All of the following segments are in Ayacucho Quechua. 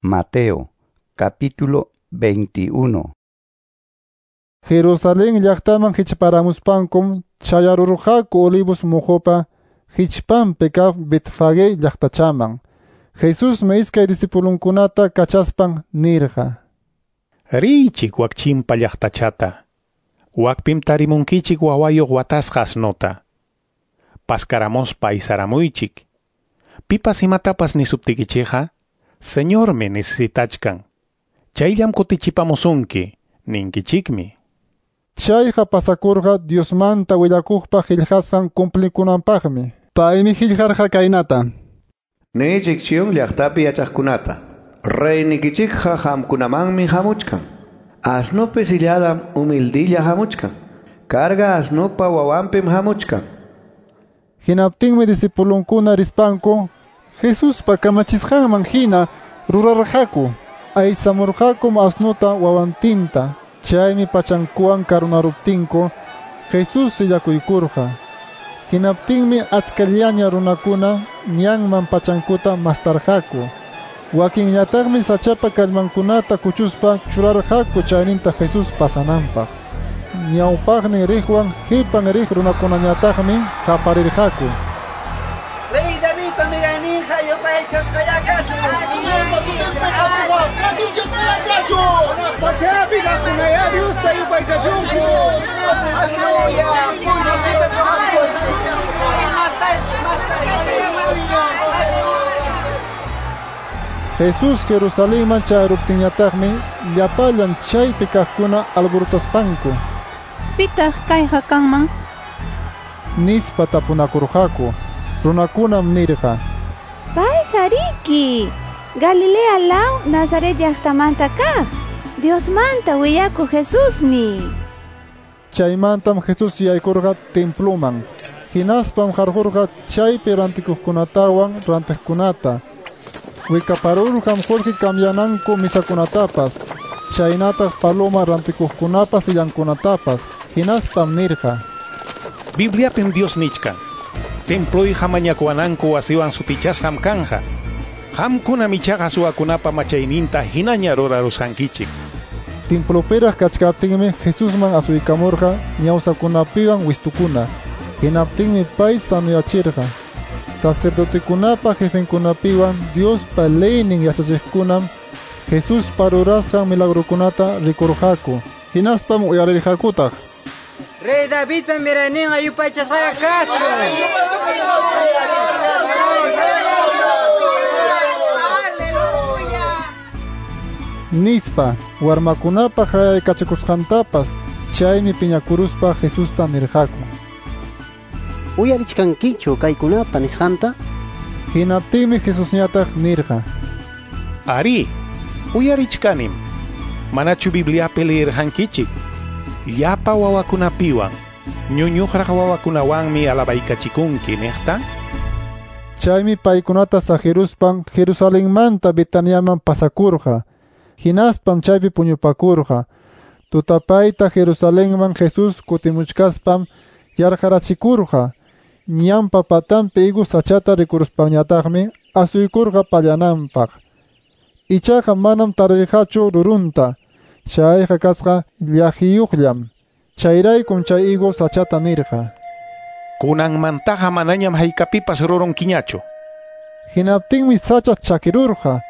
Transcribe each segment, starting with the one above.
Mateo, capítulo 21. Jerusalén llaqtaman hichparamuspankum chayarurqaku Olivos muqupa hichpanpi kaq Betfagé llaqtachaman. Jesusmi iskay discipulunkunata kachaspan nirqa: Riychik wak chimpa llaqtachata. Wakpim tarimunkichik wawayuq watasqa asnota. Paskaramuspa aysaramuychik. Pipas imatapas nisuptikichikqa, Señormi necesitachkan. Chayllam kutichipamusunki, ninkichikmi. Chayqa pasakurqa Diosmanta willakuqpa qillqasqan cumplikunanpaqmi. Paymi qillqarqa kaynata: Niychik Sion llaqtapi yachaqkunata, reynikichikqa qamkunamanmi hamuchkan. Asnupi silladam humildilla hamuchkan. Carga asnupa wawanpim hamuchkan. Hinaptinmi discipulunkuna rispanku Jesuspa kamachisqanman hina rurarqaku. Aysamurqakum asnuta wawantinta. Chaymi pachankuwan karunaruptinku Jesús sillakuykurqa. Hinaptinmi achkallaña runakuna ñanman pachankuta mastarqaku. Wakinñataqmi sachapa kallmankunata kuchuspa churarqaku chayninta Jesús pasananpaq. Ñawpaqnin riqwan qipan riq runakunañataqmi qaparirqaku: Rey Davidpa mirayninqa yupaychasqaya kachun. Señorpa sutinpi hamuqqa ratinchasqaya kachun. Pachapi kaqkunayá Diosta yupaychachunku. Aleluya. Jesús Jerusalenman chayaruptinñataqmi llapallan chaypi kaqkuna alborotaspanku: Pitaq kayqa kanman? Nispa tapunakurqaku. Runakunam nirqa: Payqa riki Galilea law Nazaret llaqtamanta kaq Diosmanta willakuq Jesusmi. Chaymantam Jesús yaykurqa temploman. Hinaspam qarqurqa chaypi rantikuqkunatawan rantiqkunata. Wikaparurqam qullqi cambiananku misakunatapas, chaynataq paloma rantikuqkunapa sillankunatapas. Hinaspam nirqa: Bibliapim Dios nichkan: Temployqa mañakuwananku wasiwan sutichasqam kanja. Qamkunam ichaqa suwakunapa machayninta hinaña rurarusqankichik. Templopiraq kachkaptinmi Jesusman asuykamurqa ñawsakunapiwan wistukuna. Hinaptinmi pay sanuyachirqa. Sacerdotekunapa jefenkunapiwan Diospa leynin yachachiqkunam Jesuspa rurasqan milagrukunata rikurqaku. Hinaspam uyarirqakutaq: Rey Davidpa mirayninqa yupaychasqaya kachun. Nispa warmakunapa qayaykachakusqantapas. Chaymi piñakuruspa Jesusta nirqaku: Uyarichkankichu kaykunapa nisqanta? Hinaptinmi Jesusñataq nirqa: Ari, uyarichkanim. Manachu Bibliapi leerqankichik? Llapa wawakunapiwan, ñuñuqraq wawakunawanmi alabaykachikunki niqta. Chaymi paykunata saqiruspan Jerusalenmanta Betaniaman pasakurqa. Hinaspam chaypi puñupakurqa. Tutapayta Jerusalenman Jesús kutimuchkaspam yarqarachikurqa. Ñanpa patanpi higo sachata rikuruspanñataqmi asuykurqa pallananpaq. Ichaqa manam tarirqachu rurunta. Chayqa kasqa llaqiyuqllam. Chayraykum chay higo sachata nirqa: Kunanmantaqa manañam haykapipas rurunkiñachu. Hinaptinmi sacha chakirurqa.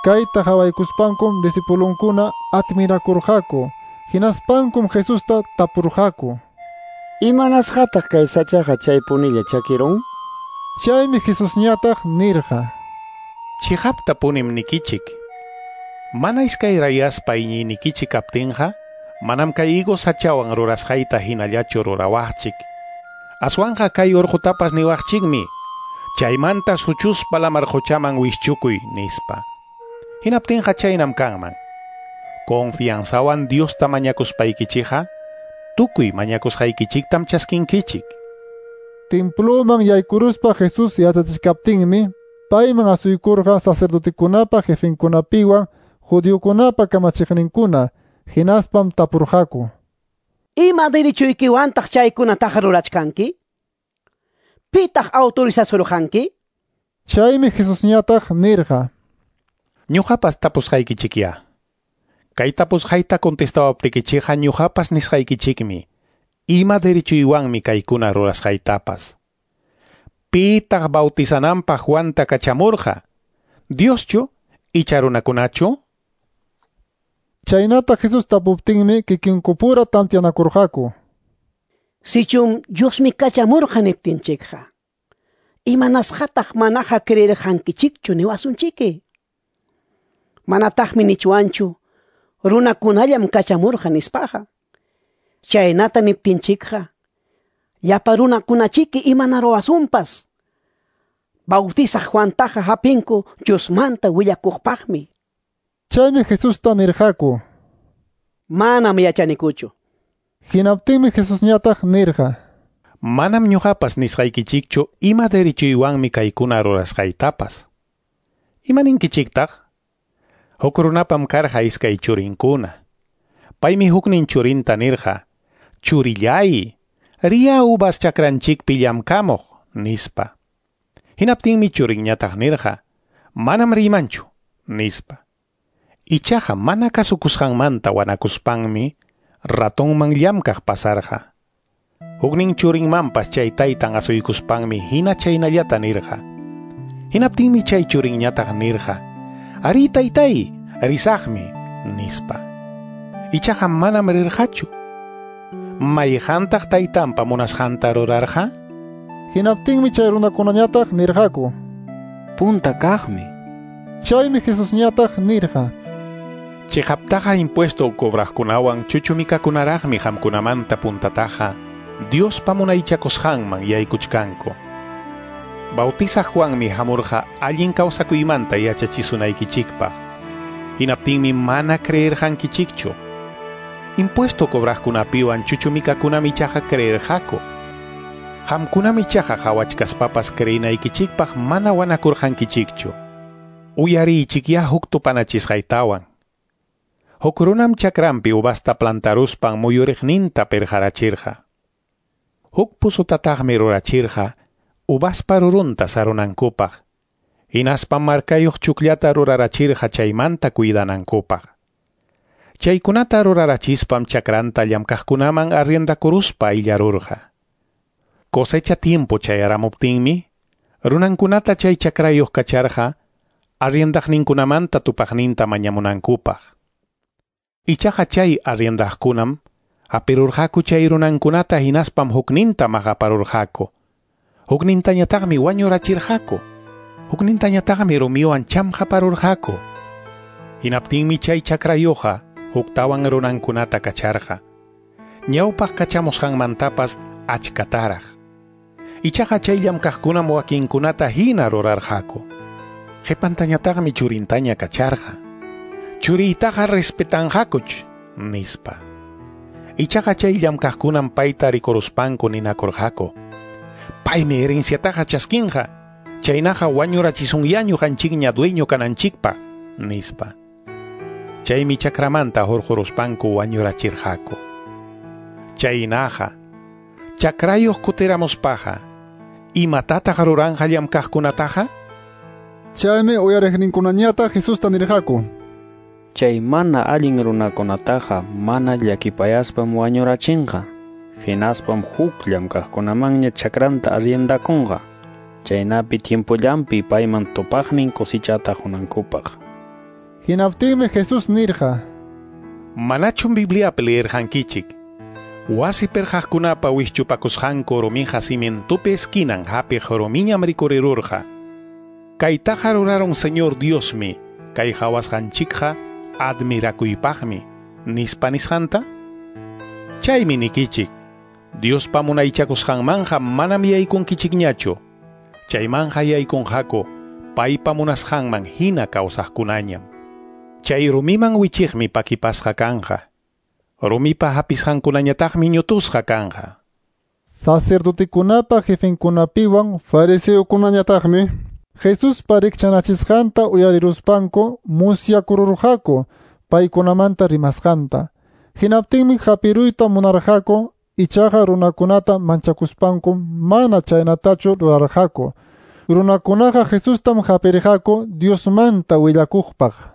Kayta qawaykuspankum discipulunkuna admirakurqaku. Hinaspankum Jesusta tapurqaku: Imanasqataq kay sachaqa chaypunilla chakirun? Chaymi Jesusñataq nirqa: Chiqaptapunim nikichik. Mana iskayrayaspa iñiynikichik kaptinqa, manam kay higo sachawan rurasqayta hinallachu rurawaqchik. Aswanqa kay urqutapas niwaqchikmi: chaymanta suchuspa lamar quchaman wischukuy, nispa. Hinaptinqa chaynam kanman. Confianzawan Diosta mañakuspaykichikqa, tukuy mañakusqaykichiktam chaskinkichik. Temploman yaykuruspa Jesús yachachichkaptinmi payman asuykurqa sacerdotekunapa jefenkunapiwan judiokunapa kamachiqninkuna. Hinaspam tapurqaku: Ima derechoykiwantaq chaykunataqa rurachkanki? Pitaq autorizasurqanki? Chaymi Jesusñataq nirqa: Ñuqapas tapusqaykichikyá. Kay tapusqayta contestawaptikichikqa ñuqapas nisqaykichikmi. Ima derechuywanmi kaykuna rurasqaytapas. Pitaq bautizananpaq Juanta kachamurqa? Dioschu icha runakunachu? Chaynata Jesus tapuptinmi kikinkupura tantianakurqaku. Sichum Diosmi kachamurqa niptinchikqa, imanasqataq manaqa creerqankichikchu niwasunchiki? Manataqmi nichwanchu runakunallam kachamurqa nispaqa. Chaynata niptinchikqa, llapa runakunachiki imanaruwasunpas. Bautizaq Juantaqa hapinku Diosmanta willakuqpaqmi. Chaymi Jesusta nirqaku. Manam yachanikuchu. Hinaptinmi Jesusñataq nirqa. Manam ñuqapas nisqaykichikchu ima derechuywanmi kaykuna rurasqaytapas. Imaninkichiktaq? Huk runapam karqa iskay churinkuna. Paymi huknin churinta nirqa, "Churillay, riya uvas chakranchikpi llamkamuq", nispa. Hinaptinmi churinñataq nirqa, "Manam riymanchu", nispa. Ichaqa mana kasukusqanmanta wanakuspanmi ratonman llamkaq pasarqa. Huknin churinmanpas chay taytan asuykuspanmi hina chaynallata nirqa. Hinaptinmi chay churinñataq nirqa, "Ari taytay, risaqmi", nispa. Ichaqa manam rirqachu. Mayqantaq taytanpa munasqanta rurarqa? Hinaptinmi chay runakunañataq nirqaku. Punta kaqmi. Chaymi Jesusñataq nirqa. Chiqaptaqa impuesto cobraqkunawan chuchumikakunaraqmi qamkunamanta puntataqa Diospa munaychakusqanman yaykuchkanku. Bautizaq Juanmi hamurqa allin kawsakuymanta yachachisunaykichikpaq. Hinaptinmi mana creerqankichikchu. Impuesto cobraqkunapiwan chuchumikakunam ichaqa creerqaku. Qamkunam ichaqa qhawachkaspapas creenaykichikpaq mana wanakurqankichikchu. Uyariychikyá huk tupanachisqaytawan. Huk runam chakranpi uvasta plantaruspan muyuriqninta pirqarachirqa. Huk pusutataqmi rurachirqa uvaspa rurunta sarunankupaq. Hinaspam markayuq chukllata rurarachirqa chaymanta cuidanankupaq. Chaykunata rurarachispam chakranta llamkaqkunaman arriendakuruspa illarurqa. Cosecha tiempo chayaramuptinmi, runankunata chay chakrayuq kacharqa arriendaqninkunamanta tupaqninta mañamunankupaq. Ichaqa chay arriendaqkunam hapirurqaku chay runankunata hinaspam hukninta maqaparurqaku. Huknintañataqmi wañurachirqaku. Huknintañataqmi rumiwan chamqaparurqaku. Hinaptinmi chay chakrayuqqa huktawan runankunata kacharqa. Ñawpaq kachamusqanmantapas achkataraq. Ichaqa chay llamkaqkunam wakinkunata hina rurarqaku. Qhipantañataqmi churintaña kacharqa. Churiytaqa respetanqakuch, nispa. Ichaqa chay llamkaqkunam payta rikuruspanku ninakurqaku. Paymi herenciataqa chaskinqa, chaynaqa wañurachisunña ñuqanchikña dueño kananchikpaq, nispa. Chaymi chakramanta hurquruspanku wañurachirqaku. Chaynaqa, chakrayuq kutiramuspaqa, imatataq ruranqa llamkaqkunataqa? Chaymi uyariqninkunañataq Jesusta nirqaku. Chay mana allin runakunataqa mana llakipayaspam wañurachinqa. Hinaspam huk llamkaqkunamanña chakranta arriendakunqa. Chaynapi tiempollanpi payman tupaqnin cosechata hunankupaq. Hinaptinmi Jesús nirqa. Manachum Bibliapi leerqankichik. Wasi pirqaqkunapa wischupakusqanku rumiqa cimientopi esquinan hapiq rumiñam rikurirurqa. Kaytaqa rurarun Señor Diosmi, kay hawasqanchikqa admirakuypaqmi, nispa nisqanta? Chaymi nikichik, Diospa munaychakusqanmanqa manam yaykunkichikñachu. Chaymanqa yaykunqaku paypa munasqanman hina kawsaqkunañam. Chay rumiman wichiqmi pakipasqa kanqa. Rumipa hapisqankunañataqmi ñutusqa kanqa. Sacerdotekunapa jefenkunapiwan fariseokunañataqmi Jesuspa rikchanachisqanta uyariruspanku musyakururqaku paykunamanta rimasqanta. Hinaptinmi hapiruyta munarqaku, ichaqa runakunata manchakuspanku mana chaynatachu rurarqaku. Runakunaqa Jesustam hapirqaku Diosmanta willakuqpaq.